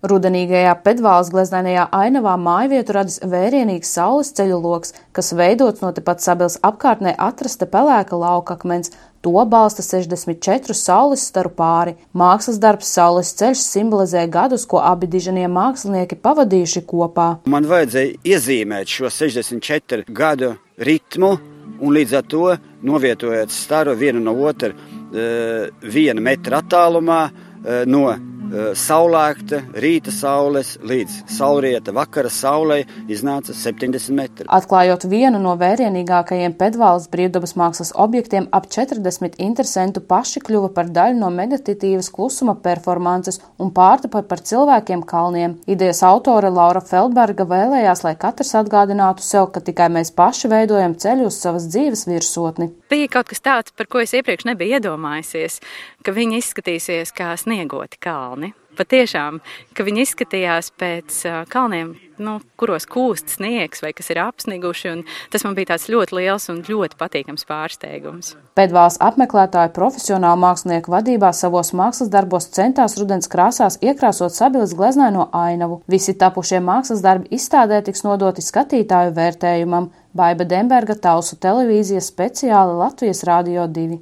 Rudenīgajā Pedvāles gleznainajā ainavā mājvietu radis vērienīgs saules ceļu loks, kas veidots no tepat Sabils apkārtnē atrasta pelēka laukakmens. To balsta 64 saules staru pāri. Mākslas darbs Saules ceļš simbolizē gadus, ko abi dižanie mākslinieki pavadījuši kopā. Man vajadzēja iezīmēt šo 64 gadu ritmu un līdz ar to novietojot staru vienu no otru 1 metra attālumā no saulēkta rīta saules līdz saulrieta vakara saulei iznāca 70 metri. Atklājot vienu no vērienīgākajiem Pedvāles brīvdabas mākslas objektiem, ap 40 interesentu paši kļuva par daļu no meditatīvas klusuma performances un pārtapa par cilvēkiem kalniem. Idejas autore Laura Feldberga vēlējās, lai katrs atgādinātu sev, ka tikai mēs paši veidojam ceļu uz savas dzīves virsotni. Bija kaut kas tāds, par ko es iepriekš nebiju iedomājusies, ka viņi izskatīsies kā sniegoti kalni. Patiešām, ka viņi izskatījās pēc kalniem, kuros kūst sniegs vai kas ir apsniguši, un tas man bija tāds ļoti liels un ļoti patīkams pārsteigums. Pedvāles apmeklētāju profesionālu mākslinieku vadībā savos mākslas darbos centās rudens krāsās iekrāsot Sabiles gleznaino ainavu. Visi tapušie mākslas darbi izstādē tiks nodoti skatītāju vērtējumam. Baiba Demberga, Talsu televīzija, speciāli Latvijas Radio 2.